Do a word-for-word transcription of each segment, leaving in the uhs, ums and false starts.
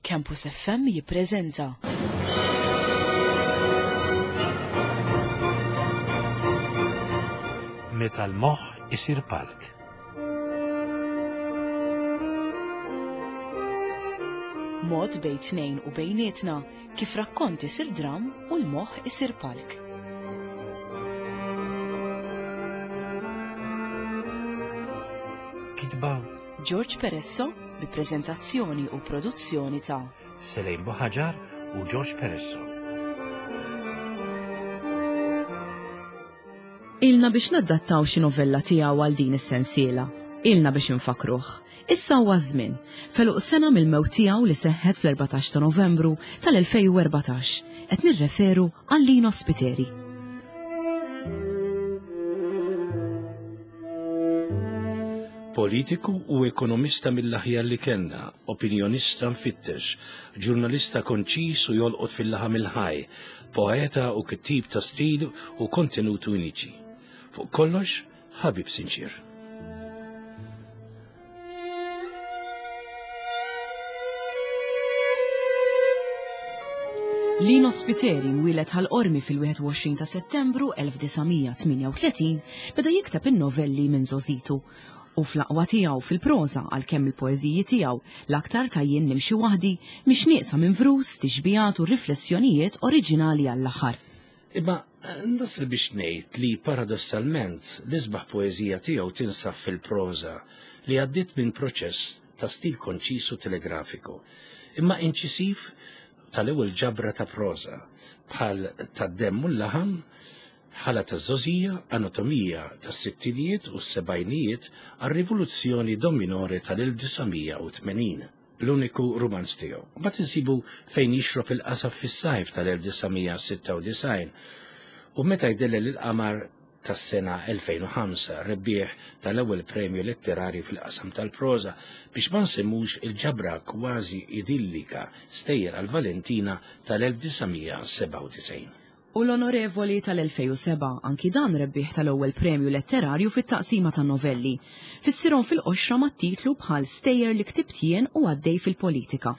Campus F M jippreżenta Meta l-moħħ isir palk. Mod bejn tnejn u bejnietna kif rakkont isir dram u l-moħħ isir palk. Kitba George Peresso bi preżentazzjoni u produzzjoni ta' Selejn Buħaġar u George Peresso. Ilna biex naddattaw xi novella tiegħu għal din is-sensiela. Ilna biex infakruh. Issa huwa żmien. Feluq sena mill-mewt tiegħu li seħħet fl-erbatax ta' Novembru tal-elfejn u erbatax. Qed nirreferu għal Lino Spiteri. Politiku u ekonomista mill-aħjar li kellna, opinjonista mfittex, ġurnalista konċis u jolqot fil-laħam il-ħaj, poeta u kittib ta' stil u kontenut uniċi. Fuq kollox, ħabib sinċir. Lino Spiteri mwieled Ħal Qormi fil-wieħed u għoxrin ta' Settembru elf disa' mija tmienja u tletin beda jikteb in-novelli minn żgħożitu. U fl-aqwa tiegħu fil-proża għalkemm il-poeżiji tiegħu l-aktar ta' Jien nimxi waħdi mhix nieqsa minn vrus, tixbihat u riflessjonijiet oriġinali għall-aħħar. Imma nasal biex ngħid li paradossalment l-isbaħ poeżija tiegħu tinsab fil-proża li għaddiet minn proċess ta' stil konċis u telegrafiku, imma inċisiv tal-ewwel ġabra ta' proża bħal tad-demm u l-laħam, ħala taż-żgħożija, anatomija tas-sittinijiet u s-sebgħinijiet għar-rivoluzzjoni dominore tal-elf disa' mija u tmenin, l-uniku rumanz tiegħu. Mbagħad insibu fejn jixrob il-qasab fis-sajf tal-elf disa' mija sitta u disgħin u meta jdellel il-qamar tas-sena elfejn u ħamsa, rebbieħ tal-ewwel premju letterarju fil-qasam tal-proża, biex ma nsemmux il-ġabra kważi idillika Stejjer għal Valentina tal-elf disa' mija sebgħa u disgħin. U l-onorevoli tal-elfejn u seba', anki dan rebbieħ tal-ewwel premju letterarju fit-taqsima tan-novelli. Fissirhom fil-qoxra mat-titlu bħal Stejjer li ktibt jien u għaddej fil-politika.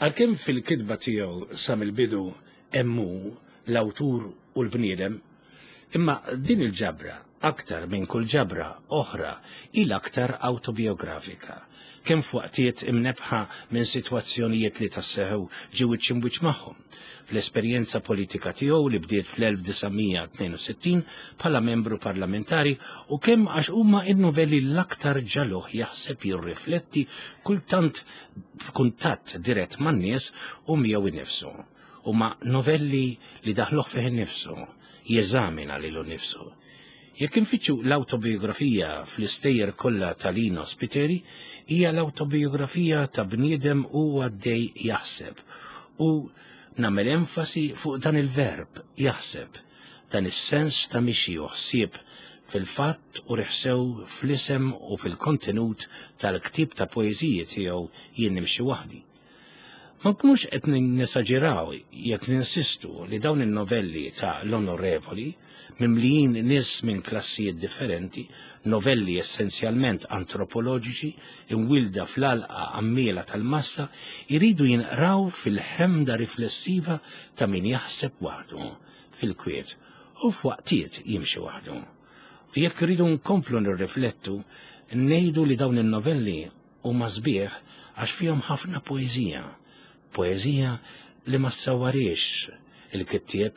Għalkemm fil-kitba tiegħu sa mill-bidu hemm hu l-awtur u l-bniedem, imma din il-ġabra, aktar minn kull ġabra oħra, hi l-aktar autobiografika. Kemm f'waqtiet imnebħa minn sitwazzjonijiet li tasseħu ġew wiċċ imwiċċ magħhom. Fl-esperjenza politika tiegħu li bdiet fl-elf disa' mija tnejn u sittin bħala membru parlamentari u kemm għax huma n-novelli l-aktar ġaluh jaħseb jirrifletti kultant f'kuntatt dirett man-nies u miegħu innifsu. Huma novelli li daħluh fih innifsu, jeżamina lilu nnifsu. Jekk infittxu l-autobiografija fl-istejjer kollha ta' Lino Spiteri, hija l-autobiografija ta' bniedem u għaddej jaħseb. U nagħmel enfasi fuq dan il-verb jaħseb, dan is-sens ta' mixi u ħsieb fil-fatt u riħsew fl-isem u fil-kontenut tal-ktieb ta' poeżiji tiegħu Jien nimxi waħdi. Ma nkunux qed nesaġeraw jekk ninsistu li dawn in-novelli ta' l-onorevoli, mimlijin nies minn klassijiet differenti, novelli essenzjalment antropoloġiċi, imwilda fl-għalqa għammiela tal-massa, iridu jinqraw fil-ħemda riflessiva ta' min jaħseb waħdu, fil-kwiet, u f'waqtiet jimxi waħdu. U jekk iridu nkomplu nirriflettu, ngħidu li dawn in-novelli huma sbieħ għax fihom ħafna poeżija. Poeżija li ma ssawwarix il-kittieb,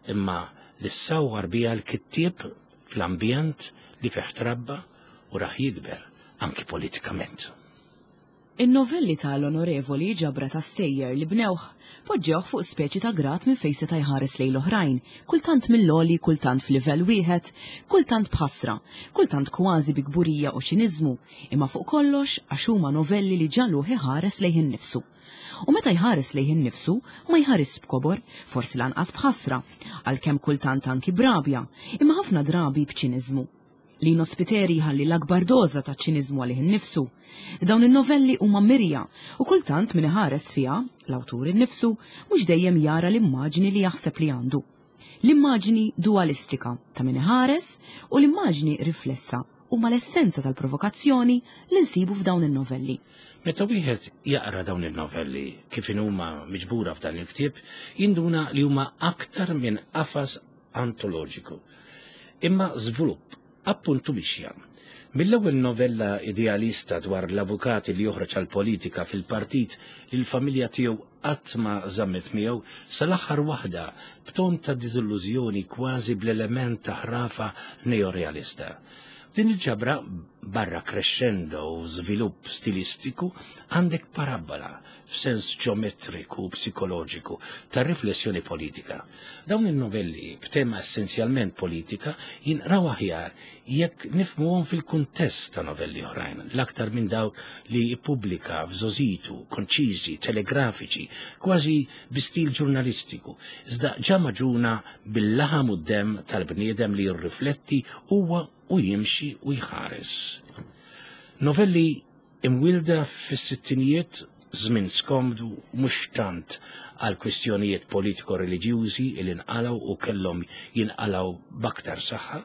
imma li ssawwar biha l-kittieb fl-ambjent li fih trabba u raħ jikber anki politikament. In-novelli tal-onorevoli ġabra ta' stejjer li bnewh poġġewh fuq speċi ta' grat minn fejn seta' jħares lejn l-oħrajn, kultant mill-għoli, kultant f'livell wieħed, kultant b'ħasra, kultant kważi bi kburija u ċiniżmu, imma fuq kollox għax huma novelli li ġaluh iħares lejn innifsu. U meta jħares lejn innifsu, ma jħares b'kobor, forsi lanqas b'ħasra, għalkemm kultant anki b'rabja, imma ħafna drabi b'ċiniżmu. Lino Spiteri jħalli l-akbar doża ta' ċiniżmu għalih innifsu. Dawn in-novelli huma mirja u kultant min iħares fiha, l-awtur innifsu, mhux dejjem jara l-immaġni li jaħseb li għandu. L-immaġni dualistika ta' min iħares u l-immaġni riflessa huma l-essenza tal-provokazzjoni li nsibu f'dawn in-novelli. Meta wieħed jaqra dawn in-novelli kif huma miġbura f'dan il-ktieb, jinduna li huma aktar minn qafas antoloġiku, imma żvilupp appuntu mixja. Mill-ewwel novella idealista dwar l-avukati li joħroġ għall-politika fil-partit li l-familja tiegħu qatt ma żammet miegħu, sal-aħħar waħda b'ton ta' diżillużjoni kważi bl-element ta' ħrafa neorealista. Din il-ġabra, barra crescendo u żvilupp stilistiku, għandek parabola f'sens ġeometriku u psikoloġiku ta' riflessjoni politika. Dawn il-novelli b'tema essenzjalment politika jinqraw aħjar jekk nifhmuhom fil-kuntest ta' novelli oħrajn, l-aktar minn dawk li jippubblika f'żożitu, konċiżi, telegrafiċi, kważi bi stil ġurnalistiku, iżda ġa maġuna bil-laħam u d-demm tal-bniedem li jirrifletti huwa u jimxi u jħares. Novelli imwilda fis-sittinijiet, żmien skomdu mhux tant għal kwistjonijiet politiko-reliġjużi li nqalgħu u kellhom jinqalgħu b'aktar saħħa,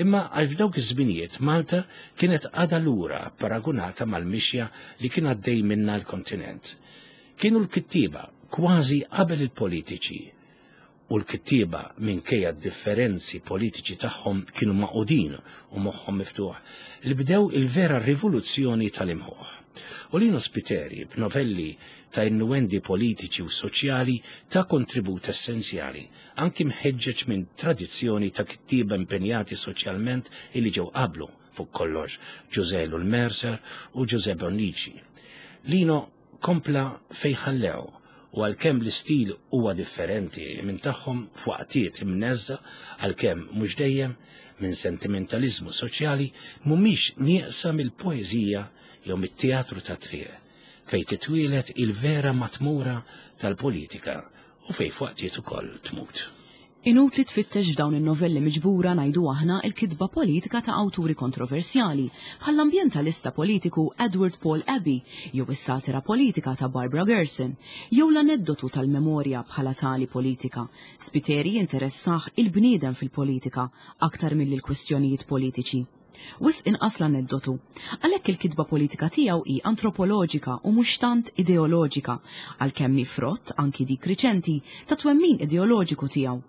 imma għal f'dawk iż-żminijiet Malta kienet għadha lura paragunata mal-mixja li kien għaddej minna l-kontinent. Kienu l-kittieba kważi qabel il-politiċi, u l-kittieba minkejja d-differenzi politiċi tagħhom kienu maqudin u moħħhom miftuħ li bdew il-vera rivoluzzjoni tal-imħuħ. U Lino Spiteri b'novelli ta' innuendi politiċi u soċjali ta' kontribut essenzjali, anki mħeġġeġ minn tradizzjoni ta' kittieba impenjati soċjalment illi ġew qablu fuq kollox Ġużè Ellul Mercer u Ġużè Bonnici. Lino kompla fejn ħallew, u għalkemm l-istil huwa differenti minn tagħhom f'waqtiet imneżża, għalkemm mhux dejjem minn sentimentalizmu soċjali, mhumiex nieqsa mill-poeżija jew mit-teatru ta' triq, fejn titwielet il-vera matmura tal-politika u fejn f'waqtiet ukoll tmut. Inutli tfittex f'dawn in-novelli miġbura ngħidu aħna il-kitba politika ta' awturi kontroversjali, bħall-ambjentalista politiku Edward Paul Abbey, jew is-satira politika ta' Barbara Gerson, jew l-aneddotu tal-memorja bħala tali politika. Spiteri jinteressah il-bniedem fil-politika aktar milli l-kwistjonijiet politiċi. Wisq inqas l-aneddotu. Għalhekk il-kitba politika tiegħu hi antropoloġika u mhux tant ideoloġika, għalkemm hi frott anki dik riċenti ta' twemmin ideoloġiku tiegħu.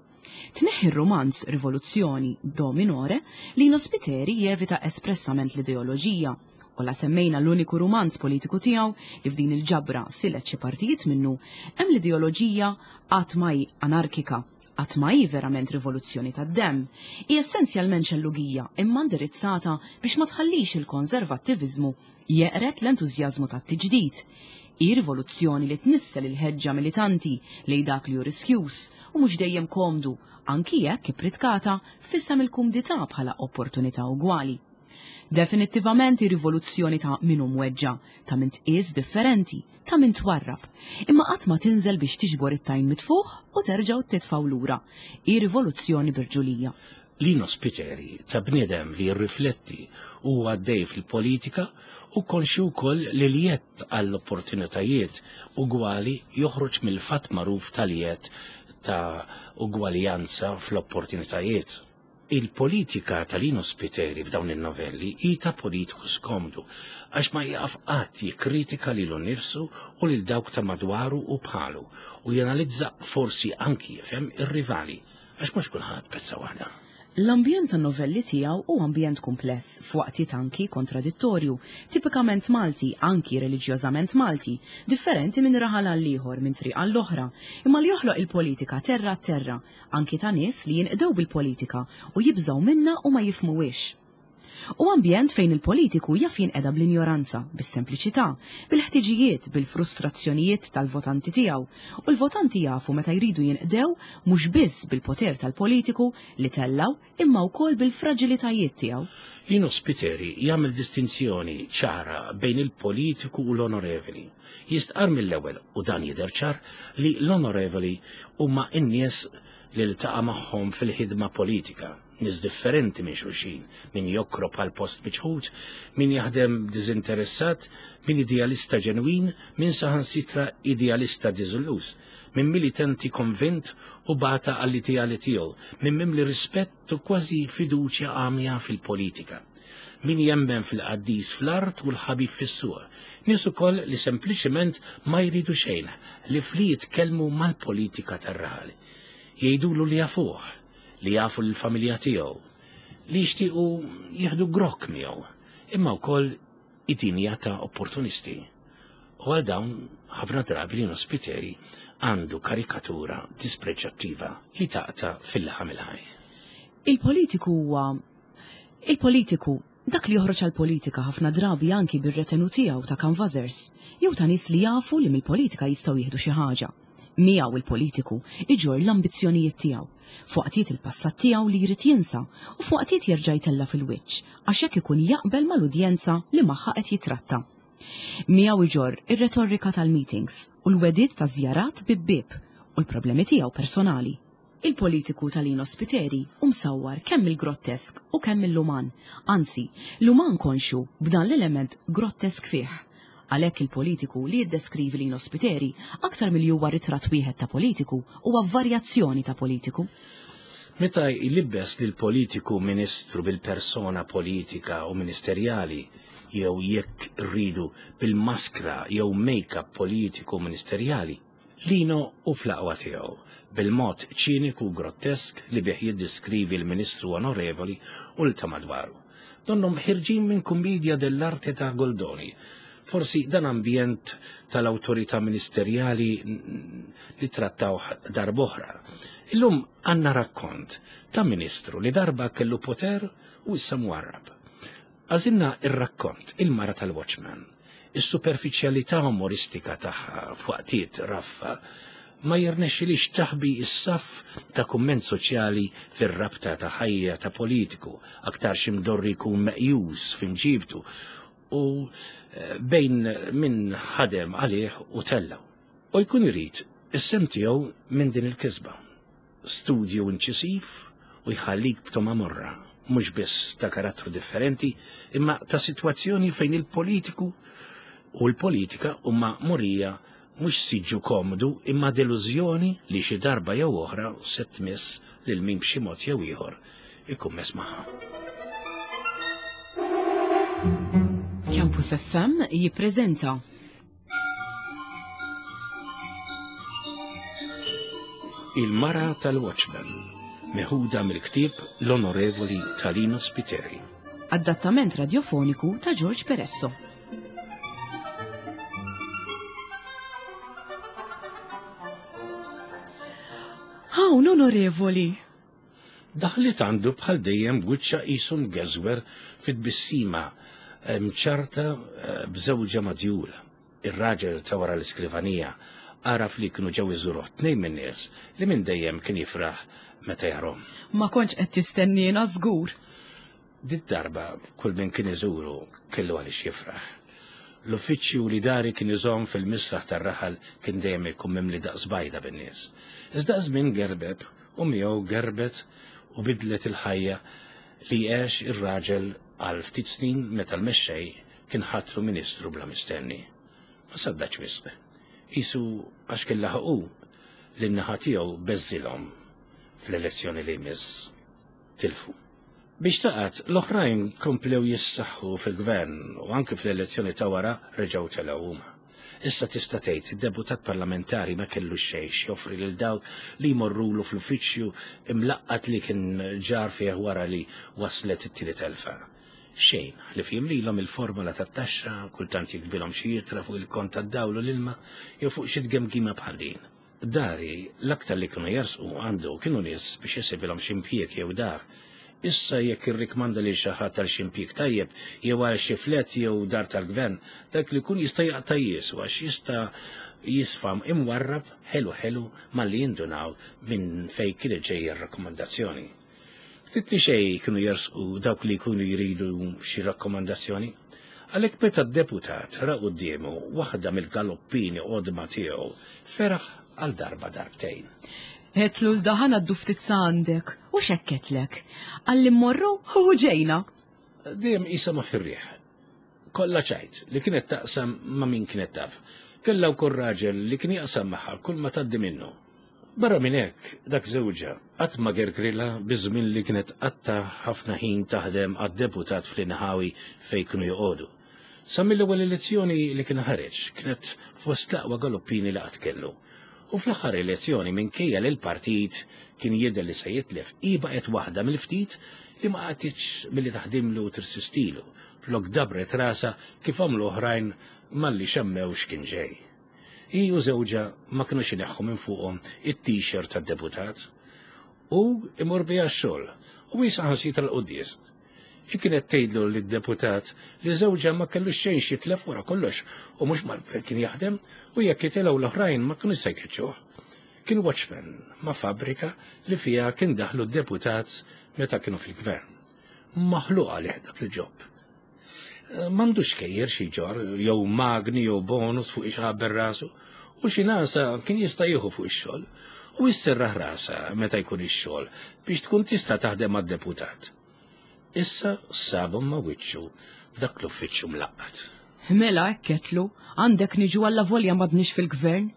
Tneħħi r-romanz Rivoluzzjoni Do Minore, Lino Spiteri jevita espressament l-ideoloġija, u la semmejna l-uniku romanz politiku tiegħu li f'din il-ġabra silet xi partijiet minnu, hemm l-ideoloġija qatt ma hi anarkika, qatt ma hi verament rivoluzzjoni tad-demm, hi essenzjalment xellugija imma indirizzata biex ma tħallix il-konservattiviżmu jeqret l-entużjażmu tat-tiġdid. Hi rivoluzzjoni li tnissel il-ħeġġa militanti lejn dak li hu riskjuż u mhux dejjem komdu, anki jekk ippritkata f'isem il-kumdità bħala opportunità ugwali. Definittivament hi rivoluzzjoni ta' min hu mweġġa, ta' min tqies differenti, ta' min twarrab, imma qatt ma tinżel biex tiġbor it-tajn mitfuħ u terġgħu titfgħu lura. Hi rivoluzzjoni birġulija. Lino Spiteri ta' bniedem li jirrifletti u għaddej fil-politika u konxju wkoll li l-jett għall-opportunitajiet ugwali joħroġ mill-fatt magħruf tal-jett ta' ugwaljanza fl-opportunitajiet. Il-politika ta' Lino Spiteri f'dawn in-novelli hi ta' politiku skomdu għax ma jaqaf qatt jikkritika lilu nnifsu u lil dawk ta' madwaru u bħalu u janalizza forsi anki jifhem ir-rivali għax mhux kulħadd pezza waħda. L-ambjent tan-novelli tiegħu hu ambjent kumpless, f'waqtiet anki kontradittorju, tipikament Malti, anki reliġjożament Malti, differenti minn raħal għal ieħor, minn triq għall oħra, imma li joħloq il-politika terra terra, anki ta' nies li jinqdew bil-politika u jibżgħu minna u ma jifhmuhiex. U ambjent fejn il-politiku jaf jinqeda bl-injoranza, bis-sempliċità, bil-ħtiġijiet, bil-frustrazzjonijiet tal-votanti tiegħu, u l-votanti jafu meta jridu jinqdew mhux biss bil-poter tal-politiku li tellaw imma wkoll bil-fraġilitajiet tiegħu. Lino Spiteri jagħmel distinzjoni ċara bejn il-politiku u l-onorevoli. Jistqar mill-ewwel, u dan jidher ċar, li l-onorevoli huma n-nies li ltaqa' magħhom fil-ħidma politika, nies differenti minn xulxin, min jokrob għal post miċħud, min jaħdem diżinteressat, min idealista ġenwin, min saħansitra idealista diżilluż, min militanti konvint u bata għall-ideali tiegħu, min mimli rispett u kważi fiduċja għamja fil-politika, Min jemmen fil-qaddis fl-art u l-ħabib fis-suq. Nies ukoll li sempliċement ma jridu xejn, li fli jitkellmu mal-politika tar-raħal. Jgħidulu li jafuh, li jafu l-familja tiegħu, li jixtiequ jieħdu grokk miegħu, imma wkoll id-dinja ta' opportunisti. U għal dawn ħafna drabi Lino Spiteri għandu karikatura dispreġjattiva li taqta' fil-laħam il-ħaj. Il-politiku huwa il-politiku dak li joħroġ għall-politika ħafna drabi anki bir-retenu tiegħu ta' canvassers, jew ta' nies li jafu li mill-politika jistgħu jieħdu xi ħaġa. Miegħu il-politiku iġorr l-ambizzjonijiet tiegħu, f'waqtiet il-passat tiegħu li jrid jinsa u f'waqtiet jerġa' jtella' fil-wiċċ għax hekk ikun jaqbel mal-udjenza li magħha qed jitratta. Miegħu iġorr ir-retorika tal-meetings u l-wegħdiet ta' żjarat bib-bieb u l-problemi tiegħu personali. Il-politiku ta' Lino Spiteri hu msawwar kemm il-grottesk u kemm mill-uman, anzi, l-uman konxu b'dan l-element grottesk fih. Għalhekk il-politiku li jiddeskrivi Lino Spiteri aktar milli huwa ritratt wieħed ta' politiku huwa varjazzjoni ta' politiku. Meta jlibbes lil politiku ministru bil-persona politika u ministerjali, jew jekk rridu bil-maskra jew make-up politiku ministerjali, Lino hu fl-aqwa tiegħu bil-mod ċiniku u grottesk li bih jiddeskrivi l-ministru onorevoli u l ta' madwaru. Donnhom ħirġin minn kummedja dell'arte ta' Goldoni. Forsi dan ambjent tal-awtorità ministerjali li trattaw darb'oħra. Illum għandna rakkont ta' ministru li darba kellu poter u issa mwarrab. Għażilna ir-rakkont Il-Mara tal-Watchman. Is-superfiċjalità umoristika tagħha f'waqtiet raffa ma jirnexxilix taħbi s-saff ta' kumment soċjali fir-rabta ta' ħajja ta' politiku, aktar x'imdorri jkun meqjus f'imġibtu u bejn min ħadem għalih u tellaw. U jkun irid is-sem tiegħu minn din il-kisba. Studju inċisiv u jħallik b'toma morra, mhux biss ta' karattru differenti, imma ta' sitwazzjoni fejn il-politiku u l-politika huma murija mhux siġġu komdu imma delużjoni li xi darba jew oħra se tmiss lil min b'xi mod jew ieħor ikun mess magħha. Campus F M jippreżenta Il-Mara tal-Watchman, meħuda mill-ktieb L-Onorevoli ta' Lino Spiteri. Adattament radiofoniku ta' George Peresso. Hawn onorevoli. Daħlet għandu bħal dejjem b'wiċċa qisu mgeżwer fit-tbissima mċarta b'żewġa madjula. Ir-raġel ta' wara l-iskrivanija għaraf li kienu ġew iżuruh tnejn min-nies li minn dejjem kien jifraħ meta jarhom. Ma kontx qed tistenniena żgur. Dit darba kull min kien iżuru kellu għaliex jifraħ. L-uffiċċju li dari kien iżomm fil-misraħ tar-raħal kien dejjem ikun mimli daqs bajda bin-nies. Iżda żmien gerbeb u miegħu gerbet u bidlet il-ħajja li għex ir-raġel għal ftit snin meta l-mexxej kien ħatru ministru bla mistenni. Ma saddax wisq. Isu għax kien laħqu li n-naħa tiegħu beżżilhom fl-elezzjoni li jmiss tilfu. Biex taqgħod, l-oħrajn komplew jissaħħu fil-gvern u anke fl-elezzjoni ta' wara reġgħu telgħu huma. Issa tista' tgħid id-deputat parlamentari ma kellu xejn joffri lil dawk li jmorrulu fl-uffiċċju imlaqqat li kien ġar fih wara li waslet it-tieni telfa. Xejn, li fihim lilhom il-formula tat-taxxa, kultant jikbilhom xi jitra fuq il-kont tad-dawl u l-ilma jew fuq xi tgemgima bħal din. Dari l-aktar li kienu jersqu għandu kienu nies biex jisibilhom xi impjieg jew dar. Issa jekk irrikmanda lil xi ħadd għal xi impjieg tajjeb jew għal xi flet jew dar tal-gvern, dak li jkun jista' jaqta' jiesu għax jista' jisfam imwarrab ħelu ħelu malli jindunaw minn fejn kienet ġejja r-rakkomandazzjoni. Ftit li xejn kienu jersqu dawk li jkunu jridu xi rakkomandazzjoni. Għalhekk meta d-deputat ra quddiemu waħda mill-galoppini qodma tiegħu feraħ għal darba darbtejn. Għetlu l-daħan għaddu ftit sa għandek u xekketlek. Għalli mmorru u ġejna. Dejjem qisha moħħ ir-riħ. Kollha ċajt li kienet taqsam ma' min kienet taf. Kellha wkoll raġel li kien jaqsam magħha kull ma tgħaddi minnu. Barra minn hekk, dak żewġha qatt ma gergrilha biż-żmien li kienet qatta ħafna ħin taħdem għad-deputat fl-inħawi fejn kienu joqogħdu. Sa mill-ewwel elezzjoni li kien ħareġ kienet fost l-aqwa galoppini li qatt kellu. U fl-aħħar elezzjoni minkejja li l-partit kien jidher li se jitlef, hi baqgħet waħda mill-ftit li ma qatitx milli taħdimlu u tirsistilu, flok dabret rasha kif għamlu oħrajn malli xammew x'kien ġej. Hi u żewġha ma kinux ineħħu minn fuqhom it-t-shirt tad-deputat. U imur biha x-xogħol u hi saħansitra l-quddies. Hi kienet tgħidlu lid-deputat li żewġha ma kellux xejn xitlef wara kollox u mhux mal-gvern kien jaħdem u jekk jitilgħu l-oħrajn ma kinux se jkeċċuh. Kien watchman ma' fabbrika li fiha kien daħlu d-deputat meta kienu fil-gvern. Maħluq għalih dak il-job. M'għandux xkejjer xi ġor, jew magni jew bonus fuq ixħabber rasu, u xi nasa kien jista' jieħu fuq ix-xogħol u jisserraħ rasha meta jkun ix-xogħol biex tkun tista' taħdem mad-deputat. Issa sabhom ma' wiċċu f'dak l-uffiċċju mlaqqat. Mela hekk ketlu, għandek niġu alla volja m'għadniex fil-gvern.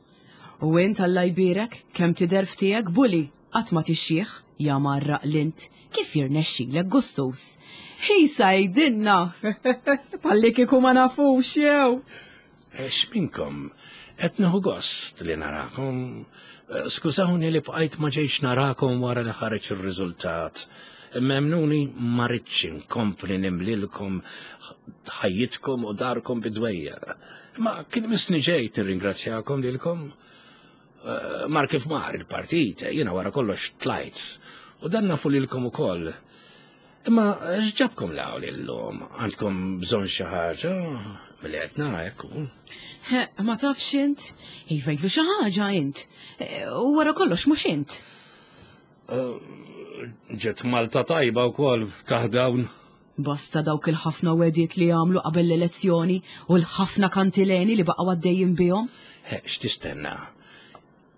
U int Alla jbierek, kemm tidher f'tiegħek buli, qatt ma tixjieħ, ja marraq lint, kif jirnexxilek gustus. Hi sajdinna, palli kieku ma nafux jew. X'minkom, qed nieħu gost li narakom. Skużawni li bqajt ma ġejx narakom wara li ħareġ ir-riżultat. Emmnuni ma ridtx inkompli nimlilkom ħajjitkom u darkom bidwejja. Ma kien misni ġejt nirringrazzjakom lilkom. Mar kif mar il-partit, jiena wara kollox tlajt. U dan nafu lilkom ukoll. Imma x'ġabkom 'l hawn illum? Għandkom bżonn xi ħaġa? Milli qed nara hekk hu. Ma tafx int? Iva jgħidlu xi ħaġa int. U wara kollox mhux int. Ġet Malta tajba wkoll taħt dawn. Basta dawk il-ħafna wegħdiet li għamlu qabel l-elezzjoni u l-ħafna kantileni li baqgħu għaddejjin bihom. X'tistenna?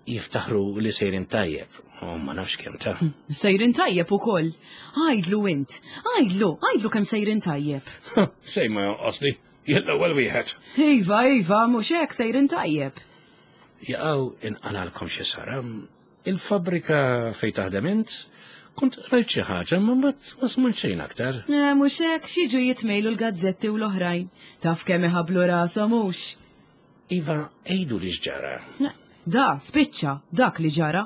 Jiftaħru li sejrin tajjeb, u ma nafx kemm ta'. Sejrin tajjeb ukoll. Għajdlu int, għajdlu, għajdlu kemm sejrin tajjeb. Xejn ma jonqosli, jien l-ewwel wieħed. Iva, iva, mhux hekk sejrin tajjeb. Jaqgħu inqalalkom xi sara. Il-fabbrika fejn taħdem int, kont rajt xi ħaġa ma mbagħad ma smajt xejn aktar. Eh, mhux hekk xiġu jitmejlu l-gazzetti u l-oħrajn. Taf kemm iħablu rashom mhux. Iva, għidu li x'ġara. Da, spiċċa, dak li ġara.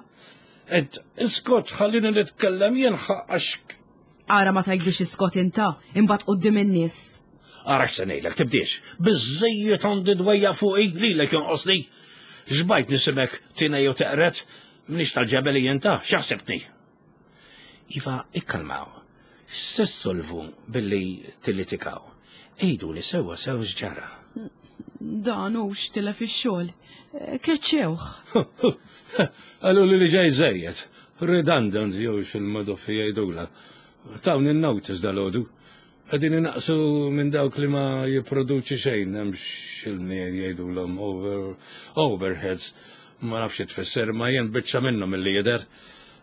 Ed, iskot, ħallini nitkellem jien ħaqqax. Ara ma tgħidlux iskot inta, imbagħad quddiem in-nies. Ara x'se ngħidlek, tibdiex. Biżejjed għandi dwejja fuqi lilek jonqosli. Xbajt nisimek tina jew teqret, m'iniex tal-ġebel jien ta, x'ħsibtni? Iva, ikkalmaw. Se ssolvu billi tillitikaw. Għidu li sewwa sew x'ġara. Dan hux tilef ix-xogħol. Keċċewh. Qalu li li ġej żejjed. Redundant jew x'il-madoffi jgħidula. Tawni n-notice dalgħodu. Qegħdin inaqsu minn dawk li ma jipproduċi xejn, hemm x'ilni jgħidulhom over, overheads. Ma nafx tfisser, ma jien biċċa minnhom milli jidher.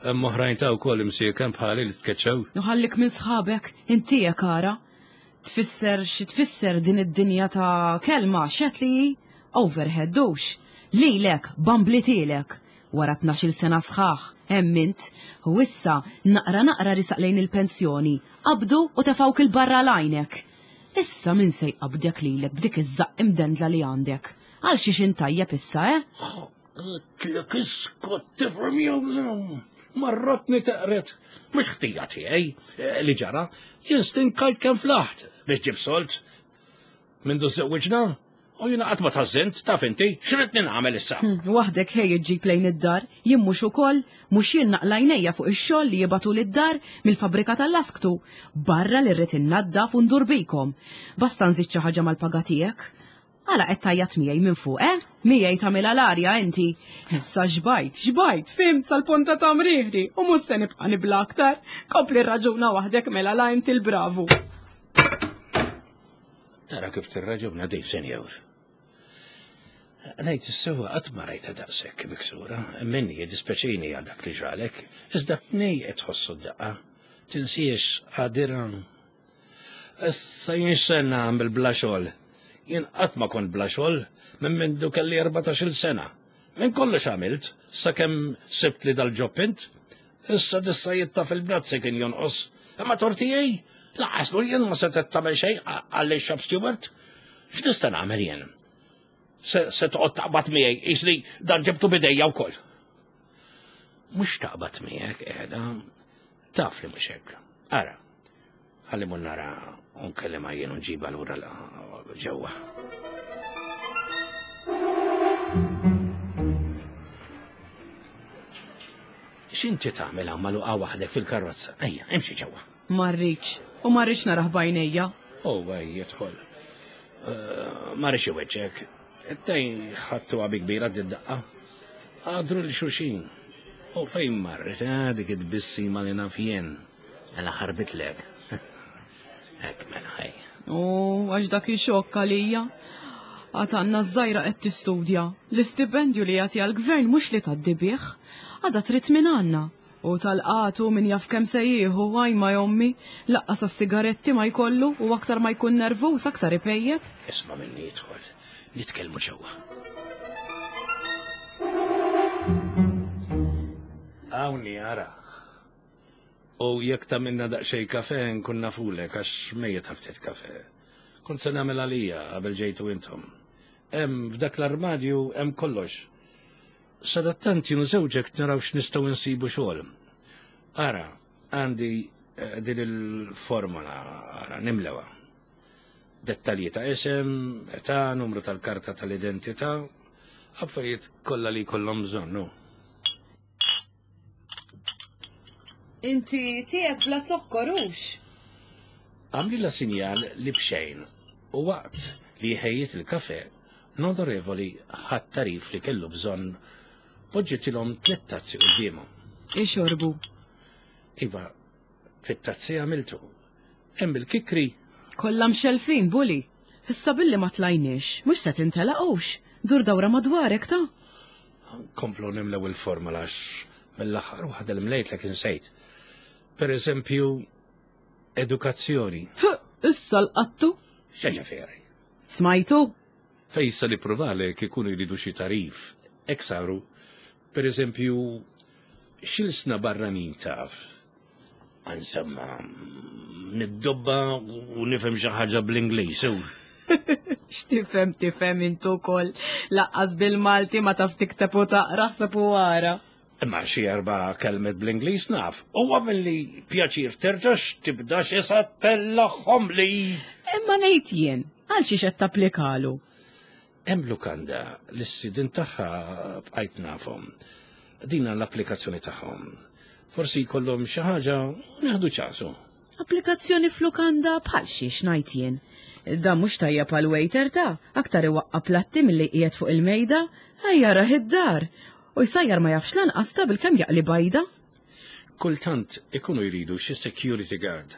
Hemm oħrajn ta' wkoll imsieken bħali li tkeċċew. Ħallik minn sħabek, inti kara. Tfisser xi tfisser din id-dinja ta' kelma xet li overhead dux. Lilek, bamblitilek. Wara tnax-il sena sħaħ, hemm int, u issa naqra naqra risaq lejn il-pensjoni, qabdu u tefawk il-barra lajnek. Issa min se jqabdek lilek b'dik iż-żaqq imdendla li għandek? Għal xiex intajjeb issa, eh? Tlek iskot tifhem jew marrotni teqret. Mhux ħtija tiegħi li ġara, jien stinkajt kemm flaħt biex ġib solt. Mindu żewwiġna, u jiena qatt ma tażżint, taf inti, x'ridni nagħmel issa? Waħdek ħej iġġib lejn id-dar, jien mhux ukoll, mhux jien naqlajnejja fuq ix-xogħol li jibatu lid-dar mill-fabbrika tal-lasktu, barra li rrid innaddaf u ndur bikom. Basta nżid xi ħaġa mal-paga tiegħek. Għala qed tajjat miegħi minn fuq, eh? Miegħi tagħmilha l-arja inti. Issa xbajt, xbajt, fimt sal-ponta ta' mriħri u mhux se nibqa' nibla aktar. Kompli raġuna waħdek mela la inti l-bravu. Tara kif tirraġuna din, senjur. Ngħid is-sewwa qatt ma rajtha daqshekk miksura, minni jiddispjaċini għal dak li ġralek, iżda tnej qed tħossu d-daqqa. Tinsiex għadira. Issa jien x'se nagħmel bla xogħol. Jien qatt ma kont bla xogħol minn mindu kelli erbatax-il sena. Minn kollox għamilt, sakemm sibt li dal-ġob int. Issa dissajjitta fil-bnazzi kien jonqos. Imma tortijaj, laqas jien ma setgħet tagħmel xejn għalli shop steward. X'nista' nagħmel jien? Se, se toqgħod taqbad miegħi, qisli dan ġibtu bidejja wkoll. Mhux taqbad miegħek qiegħda, taf li mhux hekk. Ara, ħalli mun nara unkellima jien u nġibha lura ġewwa. X'inti tagħmel hawn magħluqa waħdek fil-karozza? Ejja, imxi ġewwa. Ma rridx, u ma rridx narah b'għajnejja. Oh, ej, jidħol. Ma rridx iweġġek. Tej ħadtu għabi kbira d-daqqa. Għadru li xulxin. U fejn marret, eh, dik id-bissima li naf jien. Mela ħarbitlek. Hekk mela ħej. U għax dak ixokk għalija. Għad għandna ż-żgħira qed tistudja. L-istipendju li jagħti għall-gvern mhux li tgħaddi bih. Għadha trid minn għandna. U tal-qatu min jaf kemm se jieħu, għaj ma jommi, laqqas għas-sigaretti ma jkollu u aktar ma jkun nervuż aktar ipejjeb. Isma' minni jidħol, nitkellmu ġewwa. Hawnni ara. U jekk tagħmilna daqsxejn kafe nkun nafulek għax mejjet ftit kafe. Kont se nagħmel għalija qabel ġejtu intom. Hemm f'dak l-armadju hemm kollox. Sadattant jien u żewġek naraw x'nistgħu nsibu xogħol. Ara, għandi din il-formola, ara, nimlewa. Dettalji ta' isem, età, numru tal-karta tal-identità, affarijiet kollha li jkollhom bżonn. Inti tiegħek bla zokkor hux? Għamlilha sinjal li bxejn u waqt li ħejjiet il-kafe, l-onorevoli ħadd tarif li kellu bżonn poġġitilhom tliet tazzi quddiemhom. Ixorbu. Iva, fit-tazzi għamiltu. Hemm il-kikri. Kollha mxelfin, Bully. Issa billi ma tlajniex, mhux se tintelaqux. Dur dawra madwarek ta'. Komplu nimlew il-formola għax mill-aħħar waħda li mlejtlek insejt. Per eżempju, edukazzjoni. Issa l-qattu. X'ġifieri? Smajtu? Fejsa li pruvalek ikunu jridu xi tarif. Hekk saru. Per eżempju, x'ilsna barranin taf? Insomma, niddobba u nifhem xi ħaġa bl-Ingliż. X'tifhem tifhem int ukoll. Laqqas bil-Malti ma taf tikteb u taqra ħseb u wara. Imma xi erba' kelmet bl-Ingliż naf. Huwa milli pjaċir terġax tibda xi sattellahom li. Imma ngħid jien, għal xiex qed tapplikalu? Hemm lukanda li s-sidin tagħha bqajt nafhom. Dina l-applikazzjoni tagħhom. Forsi jkollhom xi ħaġa u nieħdu ċasu. Applikazzjoni f'lukanda bħal xiex ngħid jien. Dan mhux tajjeb għal waiter ta' aktar iwaqqa' platti milli qiegħed fuq il-mejda, ejja rah id-dar. U jsajjar ma jafx lanqas ta' bilkemm jaqli bajda. Kultant ikunu jridu xi security guard.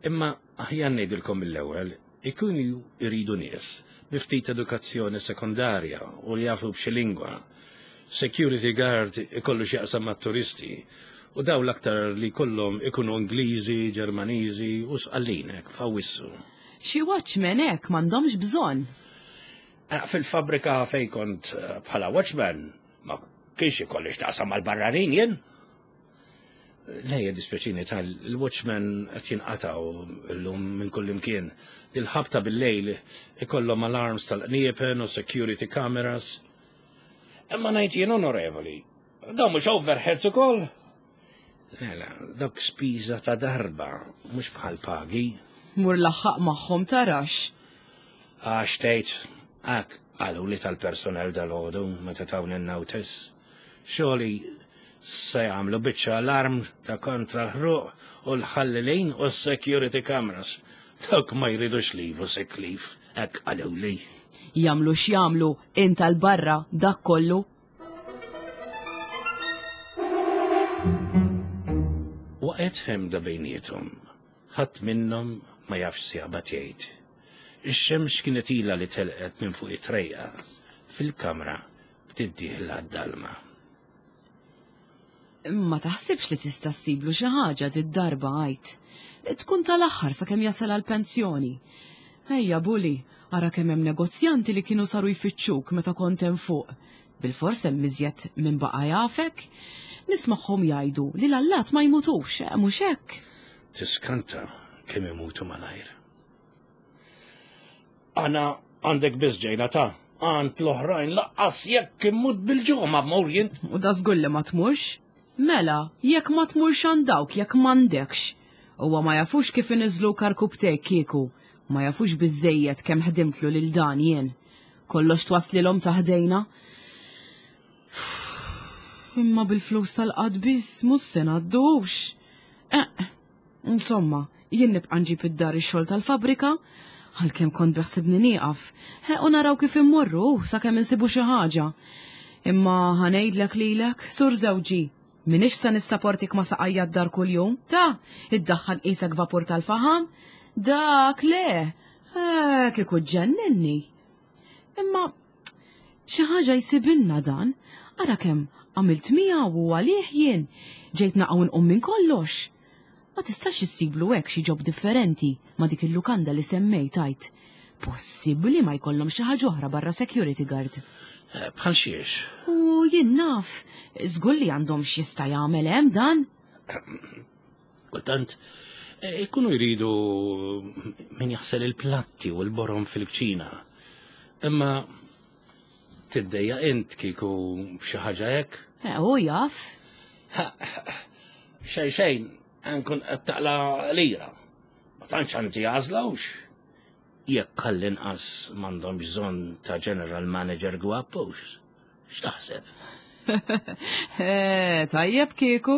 Imma aħjar ngħidilkom mill-ewwel, ikunu jridu nies bi ftit edukazzjoni sekondarja u li jafu b'xi lingwa. Security guard ikollu x'jaqsam mat-turisti u daw l-aktar li kollhom ikunu Ingliżi, Ġermaniżi u Sqallin hekk f'Awwissu. Xi watchman hekk m'għandhomx bżonn. Fil-fabrika fejn kont bħala watchman ma kienx ikolli x'taqsam mal-barranin jien. Lejja dispjaċini tal-watchman qed jinqatgħu llum minn kull imkien. Il-ħabta bil-lejl ikollhom alarms tal-qniepen u security cameras. Imma ngħid jien onorevoli, dawn mhux overheads ukoll? Mela, dawk spiża ta' darba, mhux bħal pagi. Mur laħħaq magħhom tarax. Għax tgħid, hekk qalu li tal-personel dal-għodu meta tawni n-notice. Xogħli se jagħmlu biċċa alarm ta' kontra l-ħruq u l-ħallelin u s-security cameras. Dawk ma jridux leave u sick leave, hekk qaluli. Jagħmlu x'jagħmlu, int għal barra dak kollu. Waqgħet ħemda bejniethom. Ħadd minnhom ma jafx se jaqbad jgħid. Ix-xemx kienet ilha li telqet minn fuq it-trejqa fil-kamra bdiet dieħla d-dalma. Ma taħsibx li tista' ssiblu xi ħaġa did-darba għajt. Tkun tal-aħħar sakemm jasal għall-pensjoni. Ejja Bully, ara kemm hemm negozjanti li kienu saru jfittxuk meta kont hemm fuq. Bil-fors hemm iżjed minn baqa' jafek. Nismagħhom jgħidu li l-allat ma jmutux, mhux hekk? Tiskanta kemm imutu malajr. Aħna għandek biss ġejna ta' għand l-oħrajn laqqas jekk immut bil-ġuħ ma mmur jien. U da żgur li ma tmurx. Mela, jekk ma tmurx għand dawk, jekk m'għandekx. Huwa ma jafux kif iniżlu karkubtek kieku, ma jafux biżejjed kemm ħdimtlu lil dan jien. Kollox twaslilhom ta' ħdejna. Imma bil-flus tal-qad biss mhux se ngħaddux. Eh, insomma, jien nibqa' nġib id-dar ix-xogħol tal-fabrika, għalkemm kont beħsibni nieqaf, eh, u naraw kif immorru sakemm insibu xi ħaġa. Imma ħa ngħidlek lilek, sur żewġi, minix se nissaportik ma saqajja d-dar kuljum, ta' iddaħħal qisek vapur tal-faħam, dak le, eh, kieku ġenninni. Imma xi ħaġa jsibilna dan, ara kemm għamilt miegħu u għalih jien, ġejt naqgħu nqum minn kollox. Ma tistax issiblu hekk xi job differenti ma' dik il-lukanda li semmejt għajt. Possibbli ma jkollhom xi ħaġa oħra barra security guard. Eh, Bħal xiex? U jien naf, żgur li għandhom x'jista' jagħmel hemm dan. Kultant, eh, ikunu jridu min jaħsel il-platti u l-borom fil-kċina. Imma tiddejja int kieku xi ħaġa hekk? Eh, U jaf. Xejn xejn, nkun qed taqla lira. Ma tantx għandi għażla hux. Jekk għall-inqas m'għandhom bżonn ta' general manager gwappux. X'taħseb? Eh, tajjeb kieku.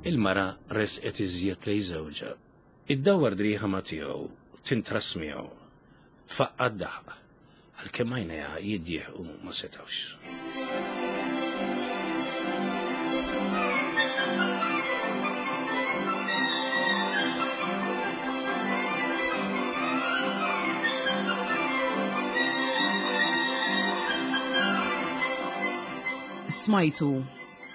Il-mara resqet iżjed lejn żewġha. Iddawwar driegħha ma' tiegħu, tintras miegħu. Tfaqqa' d-daħq, għalkemm għajnejha jiddieħqu ma setgħux. Smajtu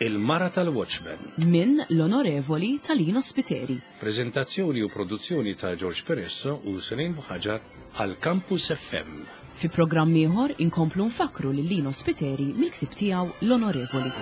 Il-Mara tal-Watchman. minn l-Onorevoli Talino Spiteri. Prezentazzjoni u produzzjoni ta' George Peresso u Selin Buħaġar għal Campus F M. Fi programm ieħor inkomplu nfakru lil Lino Spiteri mill-ktieb tiegħu l-Onorevoli.